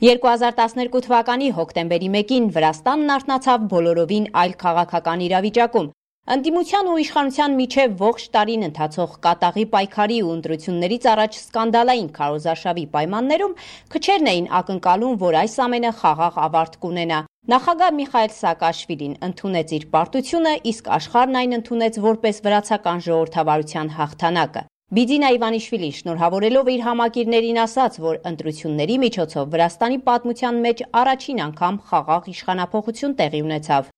2012 թվականի հոկտեմբերի 1-ին Վրաստանն արթնացավ բոլորովին այլ քաղաքական իրավիճակում։ Ընդդիմության ու իշխանության միջև ողջ տարին ընթացող կատաղի պայքարի ու ընտրություններից առաջ սկանդալային քարոզարշավի պայմաններում քչերն էին ակնկալում, որ այս ամենը խաղաղ ավարտ կունենա։ Նախագահ Միխայիլ Սաակաշվիլին ընդունեց իր պարտությունը, իսկ աշխարհն այն ընդունեց որպես վրացական ժողովրդավարության հաղթանակը։ Բիձինա Իվանիշվիլին շնորհավորելով իր համակիրներին ասաց, որ ընտրությունների միջոցով Վրաստանի պատմության մեջ առաջին անգամ խաղաղ իշխանափոխություն տեղի ունեցավ։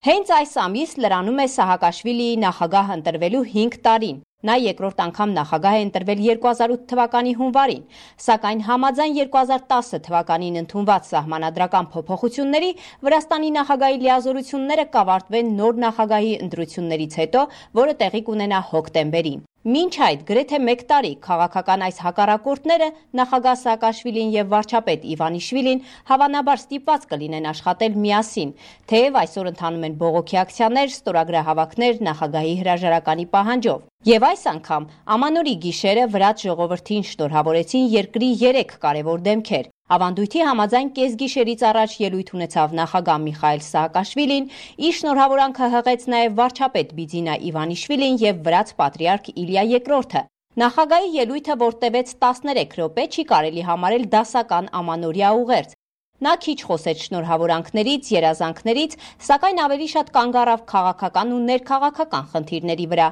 Հենց այս ամիս լրանում է Սահակաշվիլիի նախագահ ընտրվելու 5 տարին։ Նա երկրորդ անգամ նախագահ է ընտրվել 2008 թվականի հունվարին, սակայն համաձայն 2010 թվականին ընդունված սահմանադրական փոփոխությունների Վրաստանի նախագահի լիազորությունները կավարտվեն նոր նախագահի ընտրություններից հետո, որը տեղի կունենա հոկտեմբերին։ Մինչ այդ գրեթե 1 տարի քաղաքական այս հակառակորդները նախագահ Սաակաշվիլին եւ վարչապետ Իվանիշվիլին հավանաբար ստիպված կլինեն աշխատել միասին, թեև այսօր ընթանում են բողոքի ակցիաներ, ստորագրահավաքներ նախագահի հրաժարականի պահանջով։ Եվ այս անգամ ամանորի գիշերը վրաց ժողովրդին շնորհավորեցին երկրի 3 կարևոր դեմքեր։ Ավանդույթի համաձայն կեսգիշերից առաջ ելույթ ունեցավ նախագահ Միխայիլ Սաակաշվիլին, իր շնորհավորանքը հղեց նաև վարչապետ Բիձինա Իվանիշվիլին եւ վրաց պատրիարք Իլիա II-ը։ Նախագահի ելույթը, որ տևեց 13 րոպե, չի կարելի համարել դասական ամանորյա ուղերձ։ Նա քիչ խոսեց շնորհավորանքներից, երազանքներից, սակայն ավելի շատ կանգ առավ քաղաքական ու ներքաղաքական խնդիրների վրա։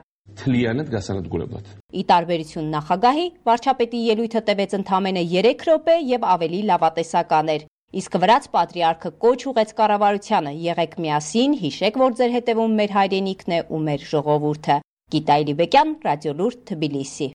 Ի տարբերություն նախագահի, վարչապետի ելույթը տևեց ընդամենը 3 րոպե եւ ավելի լավատեսական էր։ Իսկ վրաց պատրիարքը կոչ ուղեց կառավարությանը՝ եղեք միասին, հիշեք, որ ձեր հետևում մեր հայրենիքն է ու մեր ժողովուրդը։ Գիտա Իլիբեկյան, Ռադիոլուրդ, Թբիլիսի։